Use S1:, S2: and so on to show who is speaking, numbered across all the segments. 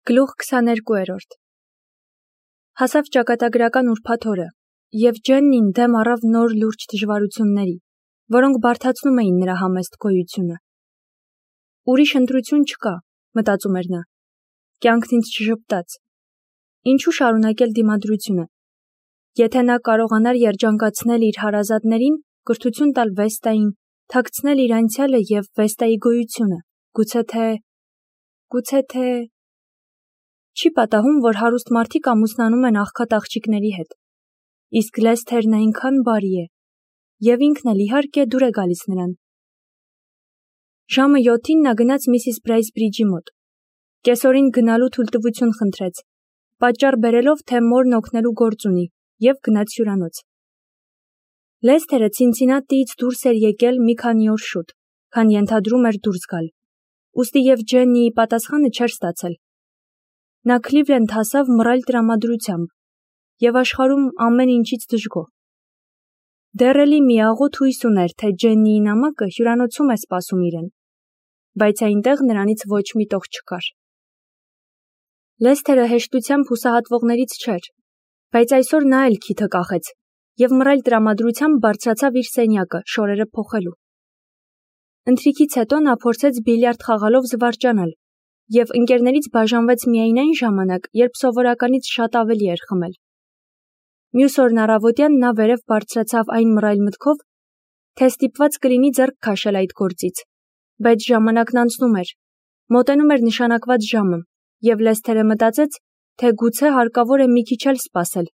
S1: Գլուխ 22-րդ Հասավ ճակատագրական ուրբաթ օրը, և Ջեննին դեմ առավ նոր լուրջ դժվարությունների, որոնք բարդացնում էին նրա համեստ գոյությունը։ Ուրիշ ընտրություն չկա, մտածում էր նա, կյանքն ինձ չժպտաց։ Ինչու շարունակել դիմադրությունը։ Եթե նա կարողանար երջանկացնել իր հարազատներին, կրթություն տալ Վեստային, թաքցնել իր անցյալը և Վեստայի գոյությունը, գուցե թե… Չի պատահում, որ հարուստ մարդիկ ամուսնանում են աղքատ աղջիկների հետ, իսկ Լեսթերն այնքան բարի է, և ինքն էլ իհարկե դուր է գալիս նրան։ Ժամը 7-ին նա գնաց Միսիս Բրեյսբրիջի մոտ, կեսօրին գնալու թույլտվություն խնդրեց, պատճառ բերելով, թե մորն օգնելու գործ ունի, և գնաց հյուրանոց։ Լեսթերը Ցինցինատիից դուրս էր եկել մի քանի օր շուտ, քան ենթադրում էր դուրս գալ, ուստի և Ջեննիի պատասխանը չէր ստացել։ Նա Քլիվլենդ հասավ մռայլ տրամադրությամբ և աշխարհում ամեն ինչից դժգոհ։ Դեռ էլի մի աղոթ հույս ուներ, թե Ջեննիի նամակը հյուրանոցում է սպասում իրեն, բայց այնտեղ նրանից ոչ մի տող չկար։ Լեսթերը հեշտությամբ հուսահատվողներից չէր, բայց այսօր նա էլ քիթը կախեց և մռայլ տրամադրությամբ բարձրացավ իր սենյակը շորերը փոխելու։ Ընթրիքից հետո նա փորձեց բիլիարդ խաղալով զվարճանալ և ընկերներից բաժանվեց միայն այն ժամանակ, երբ սովորականից շատ ավելի էր խմել։ Մյուս օրն առավոտյան նա վերև բարձրացավ այն մռայլ մտքով, թե ստիպված կլինի ձեռք քաշել այդ գործից, բայց ժամանակն անցնում էր, մոտենում էր նշանակված ժամը, և Լեսթերը մտածեց, թե գուցե հարկավոր է մի քիչ էլ սպասել։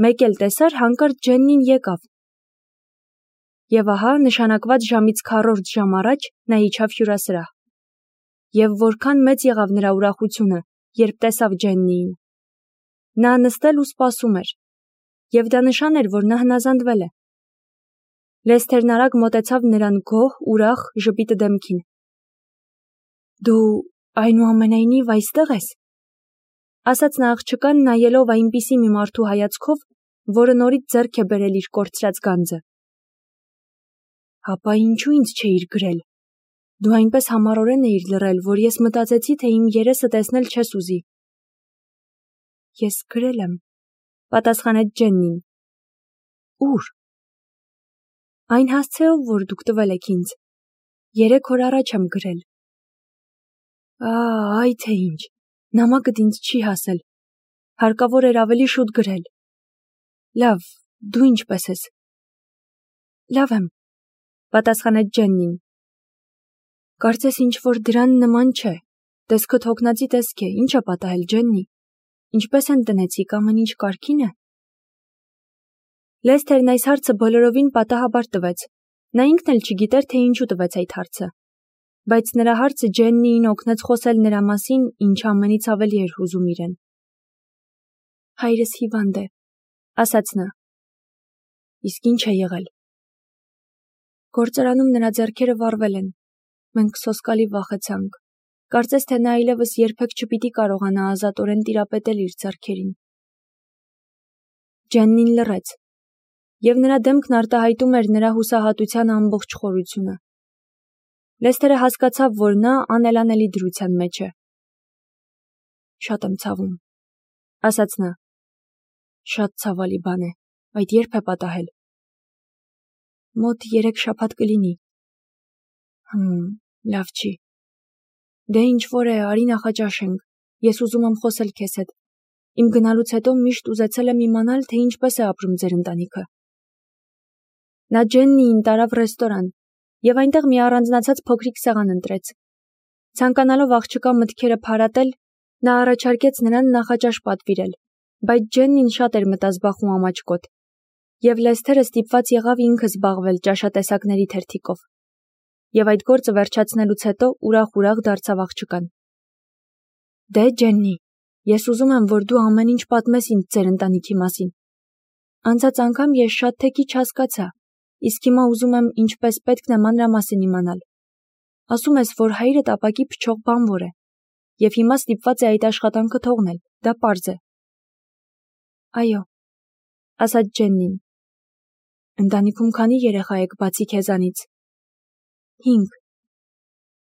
S1: Մեկ էլ տեսար, հանկարծ Ջեննին եկավ։ Եվ ահա, նշանակված ժամից քառորդ ժամ առաջ նա իջավ հյուրասրահ։ Եվ որքան մեծ եղավ նրա ուրախությունը, երբ տեսավ Ջեննիին։ Նա նստել ու սպասում էր, և դա նշան էր, որ նա հնազանդվել է։ Լեսթերն արագ մոտեցավ նրան գոհ, ուրախ, ժպիտը դեմքին։ Դու այնուամենայնիվ այստեղ ես, ասաց նա աղջկան, նայելով այնպիսի մի մարդու հայացքով, որը նորից ձեռք է բերել իր կորցրած գանձը։ Հապա ինչու ինձ չէիր գրել։ Դու այնպես համառորեն էիր լռել, որ ես մտածեցի, թե իմ երեսը տեսնել չես ուզի։ Ես գրել եմ, պատասխանեց Ջեննին։ Ուր։ Այն հասցեով, որ դուք տվել եք ինձ։ 3 օր առաջ եմ գրել։ Այ թե ինչ, նամակդ ինձ չի հասել։ Հարկավոր էր ավելի շուտ գրել։ Լավ, դու ինչպես ես։ Լավ եմ, պատասխանեց Ջեննին։ Կարծես ինչ-որ դրան նման չէ, տեսքդ հոգնածի տեսք է, ինչ է պատահել, Ջեննի, ինչպես են տնեցիք, ամեն ինչ կարգին է։ Լեսթերն այս հարցը բոլորովին պատահաբար տվեց, նա ինքն էլ չգիտեր, թե ինչու տվեց այդ հարցը, բայց նրա հարցը Ջեննիին օգնեց խոսել նրա մասին, ինչ ամենից ավելի էր հուզում իրեն։ Հայրս հիվանդ է, ասաց նա։ Իսկ ինչ է եղել։ Գործարանում նրա ձեռքերը վառվել են։ Մենք սոսկալի վախեցանք։ Կարծես թե նա այլևս երբեք չպիտի կարողանա ազատորեն տիրապետել իր ձեռքերին։ Ջեննին լռեց, և նրա դեմքն արտահայտում էր նրա հուսահատության ամբողջ խորությունը։ Լեսթերը հասկացավ, որ նա անելանելի դրության մեջ է։ Շատ եմ ցավում, ասաց նա։ Շատ ցավալի բան է, այդ երբ է պատահել։ Մոտ 3 շաբաթ կլինի։ Լավ չի։ Դե ինչ-որ է, արի նախաճաշենք, ես ուզում եմ խոսել քեզ հետ։ Իմ գնալուց հետո միշտ ուզեցել եմ իմանալ, թե ինչպես է ապրում ձեր ընտանիքը։ Նա Ջեննիին տարավ ռեստորան, և այնտեղ մի առանձնացած փոքրիկ սեղան ընտրեց։ Ցանկանալով աղջկա մտքերը փարատել, նա առաջարկեց նրան նախաճաշ պատվիրել, բայց Ջեննին շատ էր մտազբաղ ու ամաչկոտ, և Լեսթերը ստիպված եղավ ինքը զբաղվել ճաշատեսակների թերթիկով։ Եվ այդ գործը վերջացնելուց հետո ուրախ-ուրախ դարձավ աղջկան։ Դե, Ջեննի, ես ուզում եմ, որ դու ամեն ինչ պատմես ինձ ձեր ընտանիքի մասին։ Անցած անգամ ես շատ թե քիչ հասկացա, իսկ հիմա ուզում եմ ինչպես պետք է մանրամասն իմանալ։ Ասում ես, որ հայրդ ապակի փչող բանվոր է, և հիմա ստիպված է այդ աշխատանքը թողնել, դա պարզ է։ Այո, ասաց Ջեննին։ Ընտանիքում քանի երեխա եք բացի քեզանից։ 5։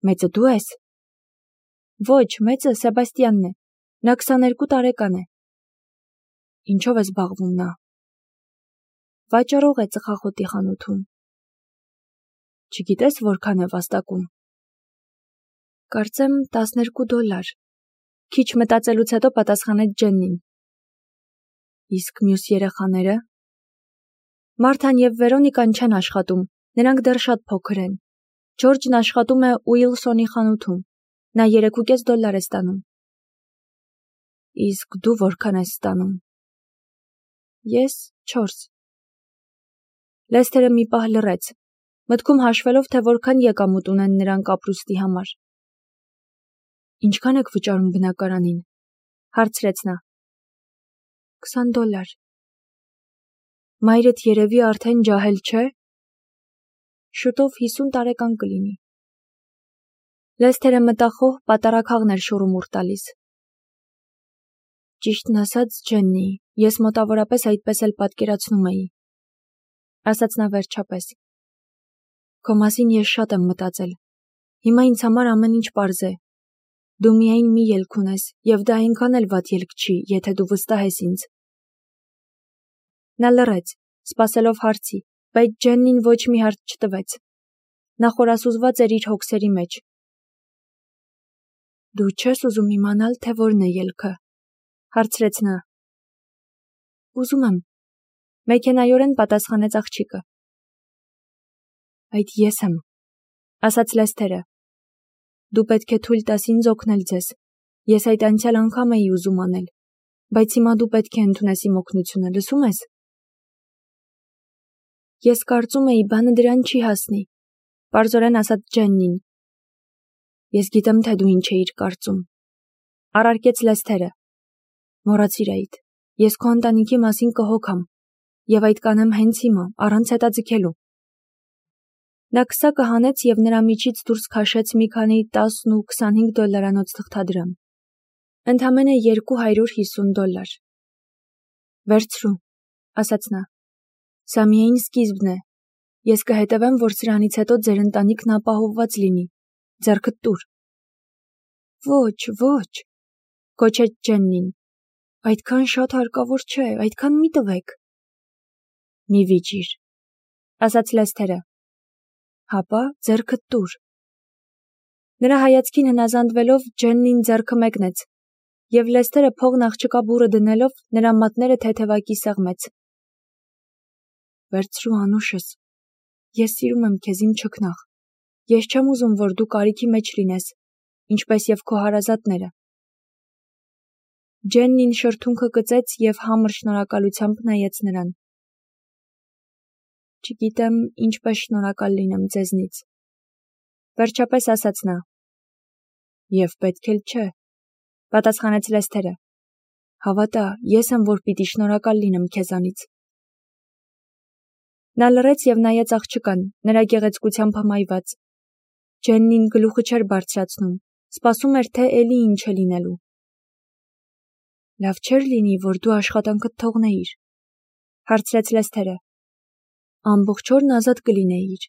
S1: Մեծը դու ես։ Ոչ, մեծը Սեբաստիանն է։ Նա 22 տարեկան է։ Ինչով է զբաղվում նա։ Վաճառող է ծխախոտի խանութում։ Չգիտես որքան է վաստակում։ Կարծեմ $12։ Քիչ մտածելուց հետո պատասխանեց Ջեննին։ Իսկ մյուս երեխաները։ Մարթան և Վերոնիկան չեն աշխատում, նրանք դեռ շատ փոքր են։ Ջորջն աշխատում է Ուիլսոնի խանութում, նա $3.5 է ստանում։ Իսկ դու որքան ես ստանում։ Ես 4։ Լեսթերը մի պահ լռեց, մտքում հաշվելով, թե որքան եկամուտ ունեն նրանք ապրուստի համար։ Ինչքան եք վճարում բնակարանին, հարցրեց նա։ $20։ Մայրդ երևի արդեն ջահել չէ։ Շուտով 50 տարեկան կլինի։ Լեսթերը մտախոհ պատարագաղն էր շուռումուռ տալիս։ Ճիշտն ասած, Ջեննի, ես մոտավորապես այդպես էլ պատկերացնում էի, ասաց նա վերջապես։ Քո մասին ես շատ եմ մտածել։ Հիմա ինձ համար ամեն ինչ պարզ է։ Դու միայն մի ելք ունես, և դա այնքան էլ վատ ելք չի, եթե դու վստահ ես ինձ։ Նա լռեց, սպասելով հարցի, բայց Ջեննին ոչ մի հարց չտվեց։ Նա խորասուզված էր իր հոգսերի մեջ։ Դու չես ուզում իմանալ, թե որն է ելքը, հարցրեց նա։ Ուզում եմ, մեքենայորեն պատասխանեց աղջիկը։ Այդ ես եմ, ասաց Լեսթերը։ Դու պետք է թույլ տաս ինձ օգնել ձեզ։ Ես այդ անցյալ անգամ էի ուզում անել, բայց հիմա դու պետք է ընդունես իմ օգնությունը, լսում ես։ Ես կարծում էի, բանը դրան չի հասնի, պարզորեն ասաց Ջեննին։ Ես գիտեմ, թե դու ինչ էիր կարծում, առարկեց Լեսթերը։ Մոռացիր այդ, ես քո ընտանիքի մասին կհոգամ, և այդ կանեմ հենց հիմա, առանց հետաձգելու։ Նա քսակը հանեց և նրա միջից դուրս քաշեց մի քանի $10 ու $25 թղթադրամ։ Ընդամենը $250։ Վերցրու, ասաց նա։ Սա միայն սկիզբն է։ Ես կհետևեմ, որ սրանից հետո ձեր ընտանիքն ապահովված լինի։ Ձեռքդ տուր։ Ոչ, կոչեց Ջեննին։ Այդքան շատ հարկավոր չէ, այդքան մի տվեք։ Մի վիճիր, ասաց Լեսթերը։ Հապա ձեռքդ տուր։ Նրա հայացքին հնազանդվելով Ջեննին ձեռքը մեկնեց, և Լեսթերը փողն աղջկա բուռը դնելով նրա մատները թեթևակի սեղմեց։ Վերցրու անուշս։ Ես սիրում եմ քեզ, իմ չքնաղ։ Ես չեմ ուզում, որ դու կարիքի մեջ լինես, ինչպես և քո հարազատները։ Ջեննին շրթունքը կծեց և համր շնորհակալությամբ նայեց նրան։ Չգիտեմ ինչպես շնորհակալ լինեմ ձեզնից, վերջապես ասաց նա։ Եվ պետք էլ չէ, պատասխանեց Լեսթերը։ Հավատա, ես եմ, որ պիտի շնորհակալ լինեմ քեզանից։ Նա լռեց և նայեց աղջկան, նրա գեղեցկությամբ հմայված։ Ջեննին գլուխը չէր բարձրացնում, սպասում էր, թե էլի ինչ է լինելու։ Լավ չէր լինի, որ դու աշխատանքդ թողնեիր, հարցրեց Լեսթերը։ Ամբողջ օրն ազատ կլինեիր։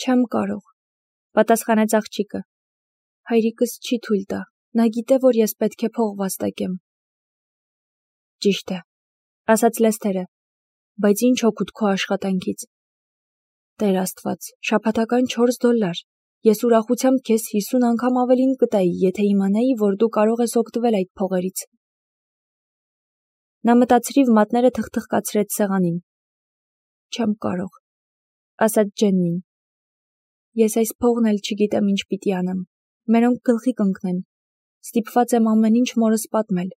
S1: Չեմ կարող, պատասխանեց աղջիկը։ Հայրիկս չի թույլ տա, նա գիտե, որ ես պետք է փող վաստակեմ։ Ճիշտ է, ասաց Լեսթերը, բայց ինչ օգուտ քո աշխատանքից։ Տեր Աստված, շաբաթական $4։ Ես ուրախությամբ քեզ 50 անգամ ավելին կտայի, եթե իմանայի, որ դու կարող ես օգտվել այդ փողերից։ Նա մտածրիվ մատները թխթխկացրեց սեղանին։ Չեմ կարող, ասաց Ջեննին։ Ես այս փողն էլ չգիտեմ ինչ պիտի անեմ։ Մերոնք գլխի կընկնեն։ Ստիպված եմ ամեն ինչ մորս պատմել։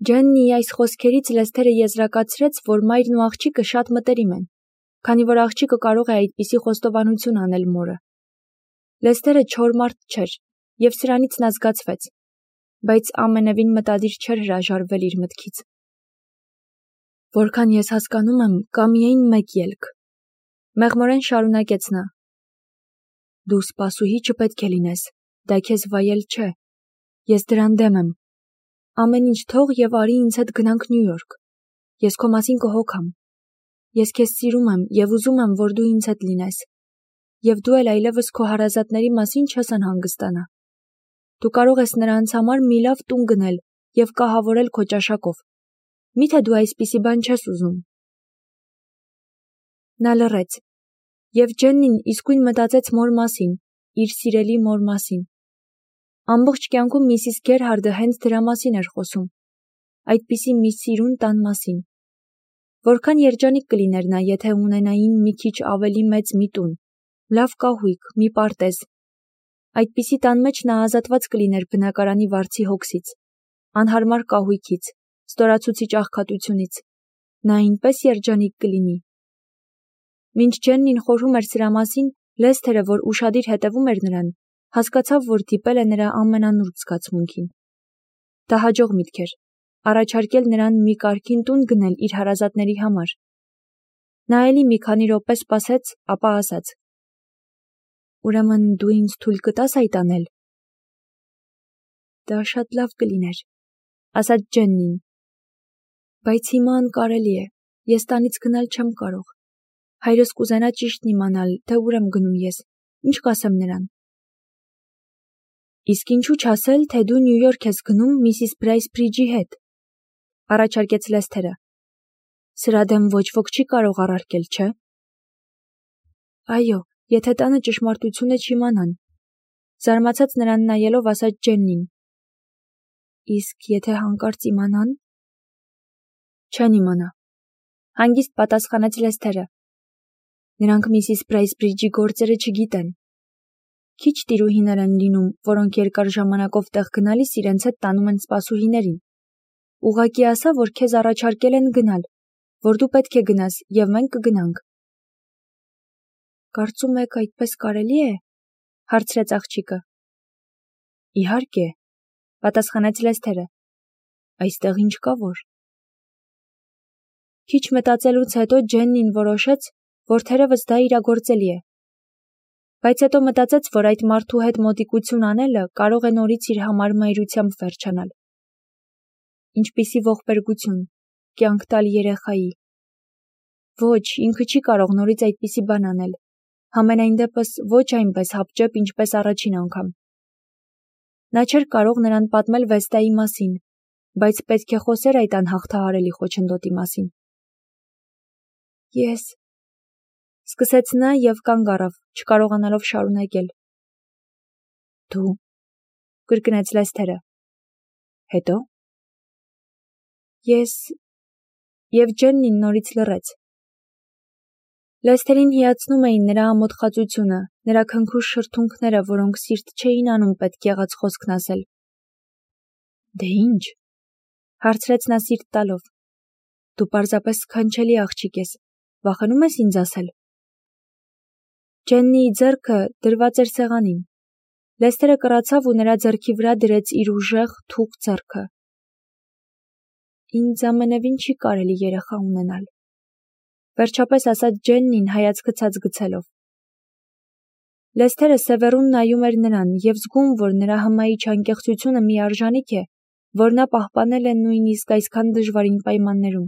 S1: Ջեննիի այս խոսքերից Լեսթերը եզրակացրեց, որ մայրն ու աղջիկը շատ մտերիմ են, քանի որ աղջիկը կարող է այդպիսի խոստովանություն անել մորը։ Լեսթերը չոր մարդ չէր, և սրանից նա զգացվեց, բայց ամենևին մտադիր չէր հրաժարվել իր մտքից։ Որքան ես հասկանում եմ, կա միայն մեկ ելք, մեղմորեն շարունակեց նա։ Դու սպասուհի չպետք է լինես, դա քեզ վայել չէ։ Ես դրան դեմ եմ։ Ամեն ինչ թող և արի ինձ հետ գնանք Նյու Յորք։ Ես քո մասին կհոգամ։ Ես քեզ սիրում եմ և ուզում եմ, որ դու ինձ հետ լինես։ Եվ դու էլ այլևս քո հարազատների մասին չես անհանգստանա։ Դու կարող ես նրանց համար մի լավ տուն գնել և կահավորել քո ճաշակով։ Միթե դու այսպիսի բան չես ուզում։ Նա լռեց, և Ջեննին իսկույն մտածեց մոր մասին, իր սիրելի մոր մասին։ Ամբողջ կյանքում Միսիս Գերհարդը հենց դրա մասին էր խոսում, այդպիսի մի սիրուն տան մասին։ Որքան երջանիկ կլիներ նա, եթե ունենային մի քիչ ավելի մեծ մի տուն, լավ կահույք, մի պարտեզ։ Այդպիսի տան մեջ նա ազատված կլիներ բնակարանի վարձի հոգսից, անհարմար կահույքից, ստորացուցիչ աղքատությունից։ Նա այնպես երջանիկ կլինի։ Մինչ Ջեննին խորհում էր սրա մասին, Լեսթերը, որ ուշադիր հետևում էր նրան, հասկացավ, որ դիպել է նրա ամենանուրբ զգացմունքին։ Դա հաջող միտք էր, առաջարկել նրան մի կարգին տուն գնել իր հարազատների համար։ Նա էլի մի քանի րոպե սպասեց, ապա ասաց. «Ուրեմն դու ինձ թույլ կտաս այդ անել»։ Դա շատ լավ կլիներ, ասաց Ջեննին։ Բայց հիմա անկարելի է, ես տանից գնալ չեմ կարող։ Հայրս կուզենա ճիշտն իմանալ, թե ուր եմ գնում ես, ինչ կասեմ նրան։ Իսկ ինչու չասել, թե դու Նյու Յորք ես գնում Միսիս Բրայսբրիջի հետ, առաջարկեց Լեսթերը։ Սրա դեմ ոչ ոք չի կարող առարկել, չէ՞։ Այո, եթե տանը ճշմարտությունը չիմանան, զարմացած նրան նայելով ասաց Ջեննին։ Իսկ եթե հանկարծ իմանան։ Չեն իմանա, հանգիստ պատասխանեց Լեսթերը։ Նրանք Միսիս Բրայսբրիջի գործերը չգիտեն։ Քիչ տիրուհիներ են լինում, որոնք երկար ժամանակով տեղ գնալիս իրենց հետ տանում են սպասուհիներին։ Ուղղակի ասա, որ քեզ առաջարկել են գնալ, որ դու պետք է գնաս, և մենք կգնանք։ Կարծում եք այդպես կարելի է, հարցրեց աղջիկը։ Իհարկե, պատասխանեց Լեսթերը։ Այստեղ ինչ կա որ։ Քիչ մտածելուց հետո Ջեննին որոշեց, որ թերևս դա իրագործելի է։ Բայց հետո մտածեց, որ այդ մարդու հետ մոտիկություն անելը կարող է նորից իր համար մայրությամբ վերջանալ։ Ինչպիսի ողբերգություն, կյանք տալ երեխայի։ Ոչ, ինքը չի կարող նորից այդպիսի բան անել, համենայն դեպս ոչ այնպես հապճեպ, ինչպես առաջին անգամ։ Նա չէր կարող նրան պատմել Վեստայի մասին, բայց պետք է խոսեր այդ անհաղթահարելի խոչընդոտի մասին։ Ես սկսեց նա և կանգ առավ, չկարողանալով շարունակել։ Դու, կրկնեց Լեսթերը։ Հետո։ Ես և Ջեննին նորից լռեց։ Լեսթերին հիացնում էին նրա ամոթխածությունը, նրա քնքուշ շրթունքները, որոնք սիրտ չէին անում պետք եղած խոսքն ասել։ Դե ինչ, հարցրեց նա սիրտ տալով։ Դու պարզապես սքանչելի աղջիկ ես, վախենում ես ինձ ասել։ Ջեննիի ձեռքը դրված էր սեղանին։ Լեսթերը կռացավ ու նրա ձեռքի վրա դրեց իր ուժեղ, թուխ ձեռքը։ Ինձ ամենևին չի կարելի երեխա ունենալ, վերջապես ասաց Ջեննին հայացքը ցած գցելով։ Լեսթերը սևեռուն նայում էր նրան և զգում, որ նրա հմայիչ անկեղծությունը մի արժանիք է, որ նա պահպանել է նույնիսկ այսքան դժվարին պայմաններում։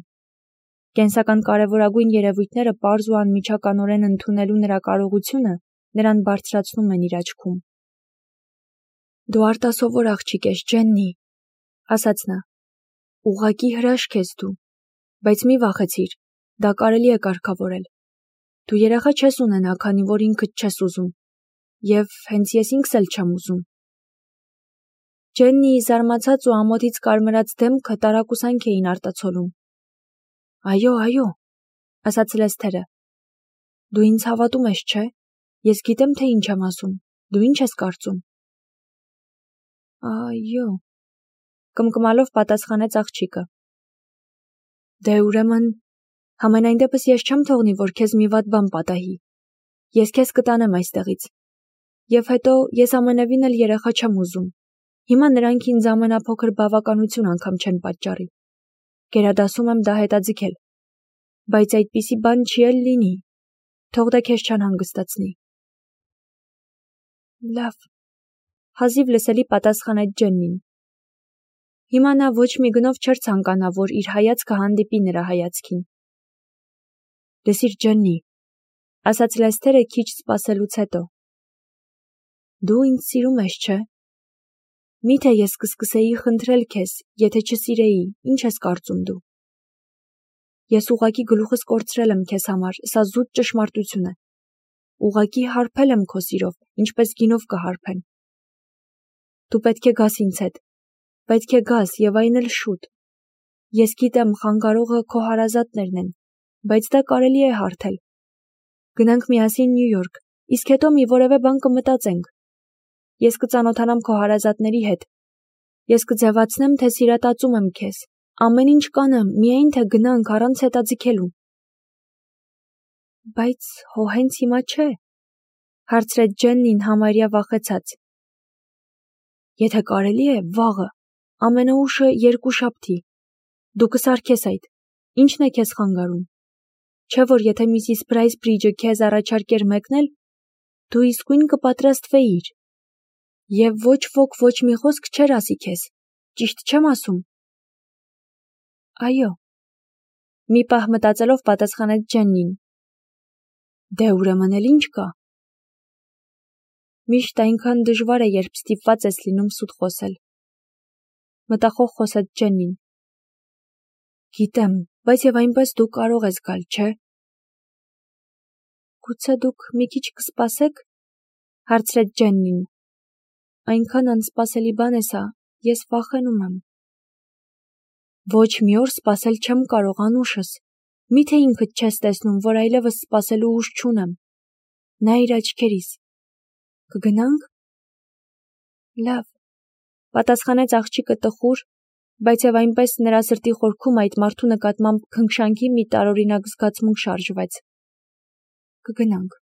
S1: Կենսական կարևորագույն երևույթները պարզ ու անմիջականորեն ընդունելու նրա կարողությունը նրան բարձրացնում են իր աչքում։ Դու արտասովոր աղջիկ ես, Ջեննի, ասաց նա։ Ուղղակի հրաշք ես դու, բայց մի վախեցիր, դա կարելի է կարգավորել։ Դու երեխա չես ունենա, քանի որ ինքդ չես ուզում, և հենց ես ինքս էլ չեմ ուզում։ Ջեննիի զարմացած ու ամոթից կարմրած դեմքը տարակուսանք էին արտացոլում։ Այո, այո, ասաց Լեսթերը։ Դու ինձ հավատում ես, չէ՞։ Ես գիտեմ, թե ինչ եմ ասում։ Դու ինչ ես կարծում։ Այո, կմկմալով պատասխանեց աղջիկը։ Դե ուրեմն, համենայն դեպս ես չեմ թողնի, որ քեզ մի վատ բան պատահի։ Ես քեզ կտանեմ այստեղից։ Եվ հետո ես ամենևին էլ երեխա չեմ ուզում։ Հիմա նրանք ինձ ամենափոքր բավականություն անգամ չեն պատճառի։ Գերադասում եմ դա հետաձգել։ Բայց այդպիսի բան չի էլ լինի։ Թող դա քեզ չանհանգստացնի։ Լավ, հազիվ լսելի պատասխանեց Ջեննին։ Հիմա նա ոչ մի գնով չէր ցանկանա, որ իր հայացքը հանդիպի նրա հայացքին։ Լսիր, Ջեննի, ասաց Լեսթերը քիչ սպասելուց հետո։ Դու ինձ սիրում ես, չէ՞։ Միթե ես կսկսեի խնդրել քեզ, եթե չսիրեի, ինչ ես կարծում դու։ Ես ուղղակի գլուխս կորցրել եմ քեզ համար, սա զուտ ճշմարտություն է։ Ուղղակի հարբել եմ քո սիրով, ինչպես գինով կհարբեն։ Դու պետք է գաս ինձ հետ։ Պետք է գաս եւ այն էլ շուտ։ Ես գիտեմ, խանգարողը քո հարազատներն են, բայց դա կարելի է հարթել։ Գնանք միասին Նյու Յորք, իսկ հետո մի որևէ բան կմտածենք։ Ես կծանոթանամ քո հարազատների հետ։ Ես կձևացնեմ, թե սիրատացում եմ քեզ։ Ամեն ինչ կանեմ, միայն թե գնանք առանց հետաձգելու։ Բայց հո հենց հիմա չէ, հարցրեց Ջեննին համարյա վախեցած։ Եթե կարելի է, վաղը, ամենաուշը երկուշաբթի։ Դու կսարքես այդ, ինչն է քեզ խանգարում։ Չէ՞ որ եթե Միսիս Բրայսբրիջը քեզ առաջարկեր մեկնել, դու իսկույն կպատրաստվեիր։ Եվ ոչ ոք ոչ մի խոսք չէր ասի քեզ, ճիշտ չեմ ասում։ Այո, մի պահ մտածելով պատասխանեց Ջեննին։ Դե ուրեմն էլ ինչ կա։ Միշտ այնքան դժվար է, երբ ստիպված ես լինում սուտ խոսել։ Մտախոհ խոսեց Ջեննին։ Գիտեմ, բայց եւ այնպես դու կարող ես գալ, չէ՞։ Գուցե դուք մի քիչ կսպասեք, հարցրեց Ջեննին։ Այնքան անսպասելի բան է սա, ես վախենում եմ։ Ոչ մի օր սպասել չեմ կարող անուշս։ Միթե ինքդ չես տեսնում, որ այլևս սպասելու ուժ չունեմ։ Նայիր աչքերիս։ Կգնանք։ Լավ, պատասխանեց աղջիկը տխուր, բայց եւ այնպես նրա սրտի խորքում այդ մարդու նկատմամբ քնքշանքի մի տարօրինակ զգացմունք շարժվեց։ Կգնանք։